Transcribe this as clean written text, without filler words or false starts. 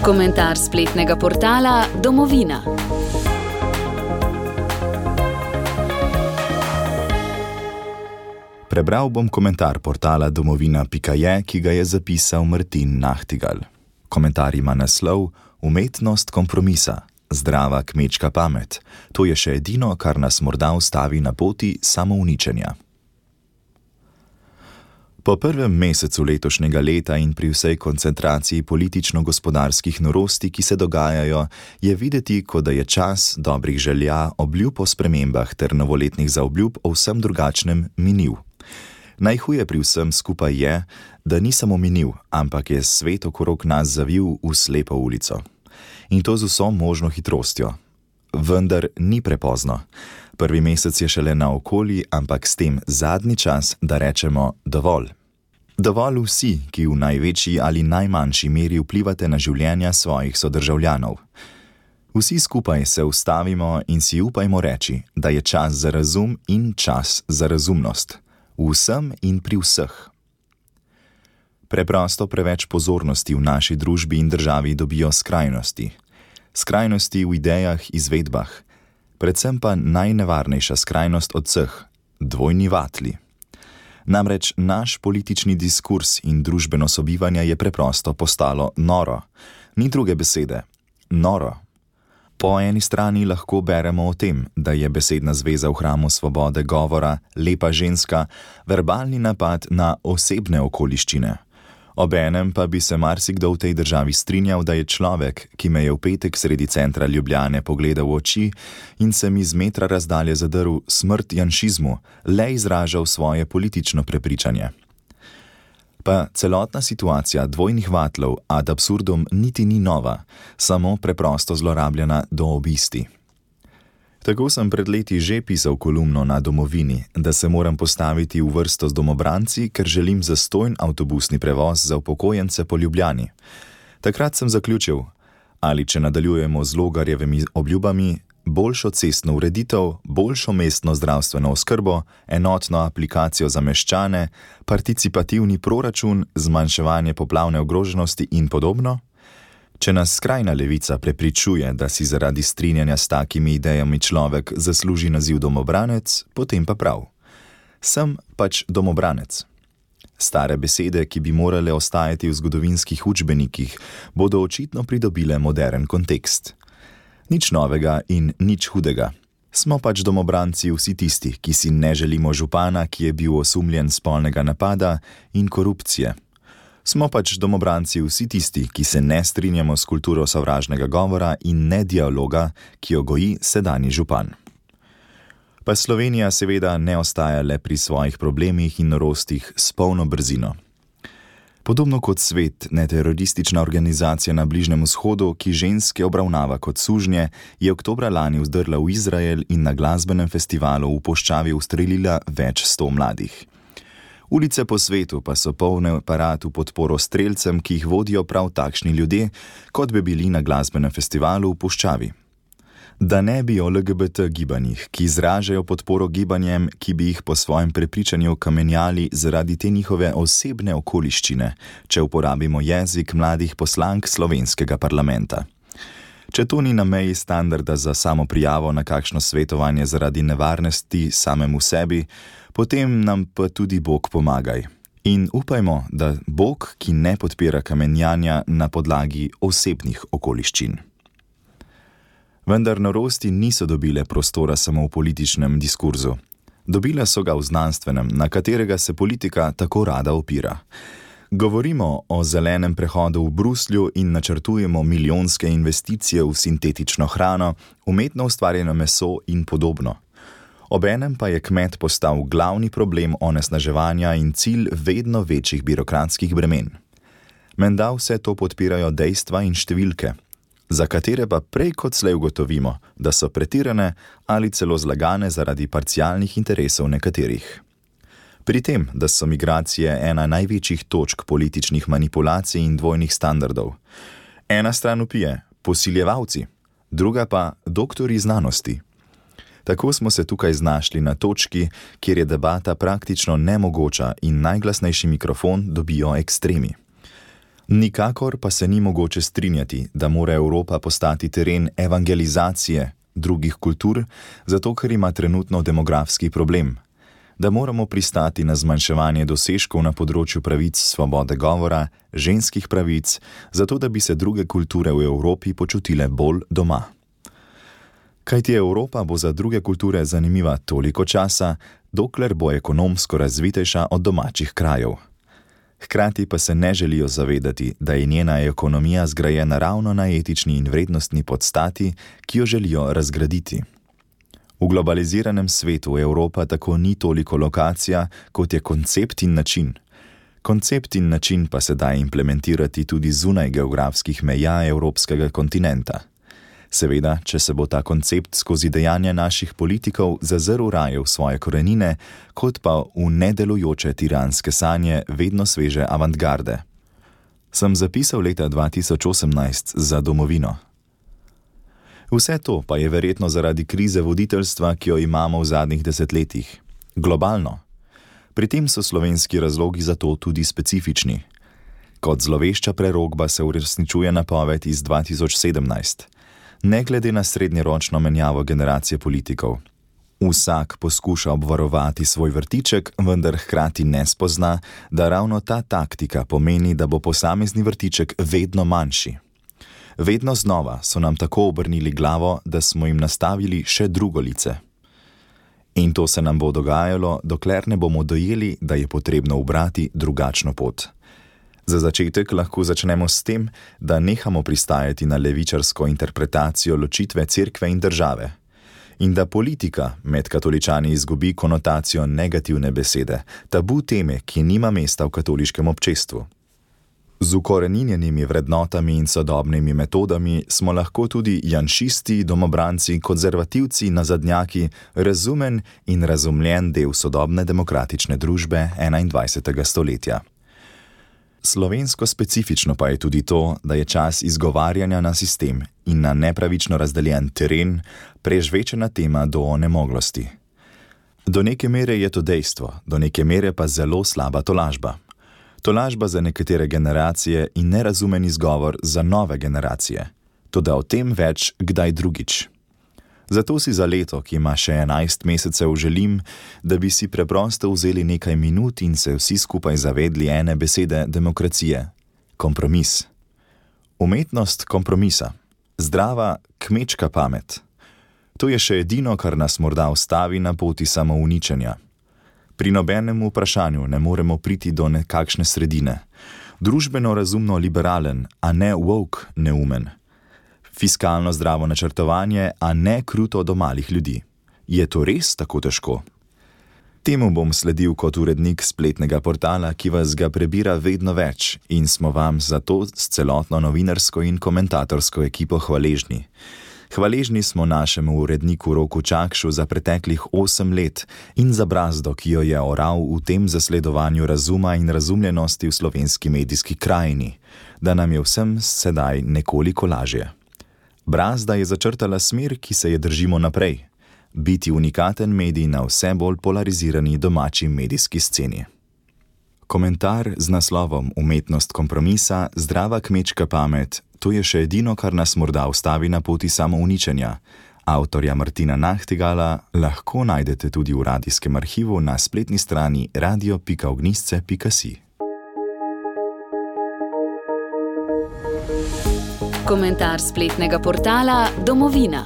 Komentar spletnega portala Domovina. Prebral bom komentar portala domovina.je, ki ga je zapisal Martin Nahtigal. Komentar ima naslov Umetnost kompromisa, zdrava kmečka pamet. To je še edino, kar nas morda ustavi na poti samouničenja. Po prvem mesecu letošnjega leta in pri vsej koncentraciji politično-gospodarskih norosti, ki se dogajajo, je videti, kot da je čas dobrih želja, obljub o spremembah ter novoletnih zaobljub o vsem drugačnem minil. Najhuje pri vsem skupaj je, da ni samo minil, ampak je svet okrog nas zavil v slepo ulico. In to z vso možno hitrostjo. Vendar ni prepozno. Prvi mesec je šele naokoli, ampak s tem zadnji čas, da rečemo dovolj. Dovolj vsi, ki v največji ali najmanjši meri vplivate na življenja svojih sodržavljanov. Vsi skupaj se ustavimo in si upajmo reči, da je čas za razum in čas za razumnost. Vsem in pri vseh. Preprosto preveč pozornosti v naši družbi in državi dobijo skrajnosti. Skrajnosti v idejah, izvedbah. Predvsem pa najnevarnejša skrajnost od vseh, dvojni vatli. Namreč naš politični diskurs in družbeno sobivanje je preprosto postalo noro. Ni druge besede. Noro. Po eni strani lahko beremo o tem, da je besedna zveza v hramu svobode govora, lepa ženska, verbalni napad na osebne okoliščine. Obenem pa bi se marsikdo v tej državi strinjal, da je človek, ki me je v petek sredi centra Ljubljane pogledal v oči in se mi z metra razdalje zadrl smrt janšizmu, le izražal svoje politično prepričanje. Pa celotna situacija dvojnih vatlov ad absurdum niti ni nova, samo preprosto zlorabljena do obisti. Tako sem pred leti že pisal kolumno na Domovini, da se moram postaviti v vrsto z domobranci, ker želim zastonj avtobusni prevoz za upokojence po Ljubljani. Takrat sem zaključil, ali če nadaljujemo z Logarjevimi obljubami, boljšo cestno ureditev, boljšo mestno zdravstveno oskrbo, enotno aplikacijo za meščane, participativni proračun, zmanjševanje poplavne ogroženosti in podobno? Če nas skrajna levica prepričuje, da si zaradi strinjanja s takimi idejami človek zasluži naziv domobranec, potem pa prav. Sem pač domobranec. Stare besede, ki bi morale ostajati v zgodovinskih učbenikih, bodo očitno pridobile modern kontekst. Nič novega in nič hudega. Smo pač domobranci vsi tisti, ki si ne želimo župana, ki je bil osumljen spolnega napada in korupcije. Smo pač domobranci vsi tisti, ki se ne strinjamo s kulturo sovražnega govora in ne dialoga, ki jo goji sedanji župan. Pa Slovenija seveda ne ostaja le pri svojih problemih in norostih s polno brzino. Podobno kot Svet, neteroristična organizacija na Bližnjem vzhodu, ki ženske obravnava kot sužnje, je oktobra lani vzdrla v Izrael in na glasbenem festivalu v Puščavi ustrelila več 100 mladih. Ulice po svetu pa so polne parat v podporo strelcem, ki jih vodijo prav takšni ljudje, kot bi bili na glasbenem festivalu v Puščavi. Da ne bi o LGBT gibanjih, ki izražajo podporo gibanjem, ki bi jih po svojem prepričanju kamenjali zaradi te njihove osebne okoliščine, če uporabimo jezik mladih poslank slovenskega parlamenta. Če to ni na meji standarda za samoprijavo na kakšno svetovanje zaradi nevarnosti samemu sebi, potem nam pa tudi Bog pomagaj. In upajmo, da Bog, ki ne podpira kamenjanja na podlagi osebnih okoliščin. Vendar norosti niso dobile prostora samo v političnem diskurzu. Dobile so ga v znanstvenem, na katerega se politika tako rada opira. Govorimo o zelenem prehodu v Bruslju in načrtujemo milijonske investicije v sintetično hrano, umetno ustvarjeno meso in podobno. Obenem pa je kmet postal glavni problem onesnaževanja in cilj vedno večjih birokratskih bremen. Menda vse to podpirajo dejstva in številke, za katere pa prej kot slej ugotovimo, da so pretirane ali celo zlagane zaradi parcialnih interesov nekaterih. Pri tem, da so migracije ena največjih točk političnih manipulacij in dvojnih standardov. Ena stran vpije posiljevalci, druga pa doktorji znanosti. Tako smo se tukaj znašli na točki, kjer je debata praktično nemogoča in najglasnejši mikrofon dobijo ekstremi. Nikakor pa se ni mogoče strinjati, da mora Evropa postati teren evangelizacije drugih kultur, zato ker ima trenutno demografski problem. Da moramo pristati na zmanjševanje dosežkov na področju pravic svobode govora, ženskih pravic, zato da bi se druge kulture v Evropi počutile bolj doma. Kajti Evropa bo za druge kulture zanimiva toliko časa, dokler bo ekonomsko razvitejša od domačih krajev. Hkrati pa se ne želijo zavedati, da je njena ekonomija zgrajena ravno na etični in vrednostni podstati, ki jo želijo razgraditi. V globaliziranem svetu Evropa tako ni toliko lokacija, kot je koncept in način. Koncept in način pa se da implementirati tudi zunaj geografskih meja evropskega kontinenta. Seveda, če se bo ta koncept skozi dejanja naših politikov zazrl raje v svoje korenine, kot pa v nedelujoče tiranske sanje vedno sveže avantgarde. Sem zapisal leta 2018 za domovino. Vse to pa je verjetno zaradi krize voditeljstva, ki jo imamo v zadnjih desetletjih. Globalno. Pri tem so slovenski razlogi za to tudi specifični. Kot zlovešča prerokba se uresničuje napoved iz 2017. Ne glede na srednjeročno menjavo generacije politikov. Vsak poskuša obvarovati svoj vrtiček, vendar hkrati ne spozna, da ravno ta taktika pomeni, da bo posamezni vrtiček vedno manjši. Vedno znova so nam tako obrnili glavo, da smo jim nastavili še drugo lice. In to se nam bo dogajalo, dokler ne bomo dojeli, da je potrebno ubrati drugačno pot. Za začetek lahko začnemo s tem, da nehamo pristajati na levičarsko interpretacijo ločitve cerkve in države. In da politika med katoličani izgubi konotacijo negativne besede, tabu teme, ki nima mesta v katoliškem občestvu. Z ukoreninjenimi vrednotami in sodobnimi metodami smo lahko tudi janšisti, domobranci, konzervativci, nazadnjaki, razumen in razumljen del sodobne demokratične družbe 21. stoletja. Slovensko specifično pa je tudi to, da je čas izgovarjanja na sistem in na nepravično razdeljen teren prežvečena tema do onemoglosti. Do neke mere je to dejstvo, do neke mere pa zelo slaba tolažba. Tolažba za nekatere generacije in nerazumen izgovor za nove generacije. Toda o tem več kdaj drugič. Zato si za leto, ki ima še 11 mesecev, želim, da bi si preprosto vzeli nekaj minut in se vsi skupaj zavedli ene besede demokracije. Kompromis. Umetnost kompromisa. Zdrava, kmečka pamet. To je še edino, kar nas morda ustavi na poti samouničenja. Pri nobenem vprašanju ne moremo priti do nekakšne sredine. Družbeno razumno liberalen, a ne woke neumen. Fiskalno zdravo načrtovanje, a ne kruto do malih ljudi. Je to res tako težko? Temu bom sledil kot urednik spletnega portala, ki vas ga prebira vedno več in smo vam za to s celotno novinarsko in komentatorsko ekipo hvaležni. Hvaležni smo našemu uredniku Roku Čakšu za preteklih 8 let in za brazdo, ki jo je oral v tem zasledovanju razuma in razumljenosti v slovenski medijski krajini, da nam je vsem sedaj nekoliko lažje. Brazda je začrtala smer, ki se je držimo naprej. Biti unikaten medij na vse bolj polarizirani domači medijski sceni. Komentar z naslovom Umetnost kompromisa, zdrava kmečka pamet, to je še edino, kar nas morda ustavi na poti samouničenja. Avtorja Martina Nahtigala lahko najdete tudi v radijskem arhivu na spletni strani radio.ognjisce.si. Komentar spletnega portala Domovina.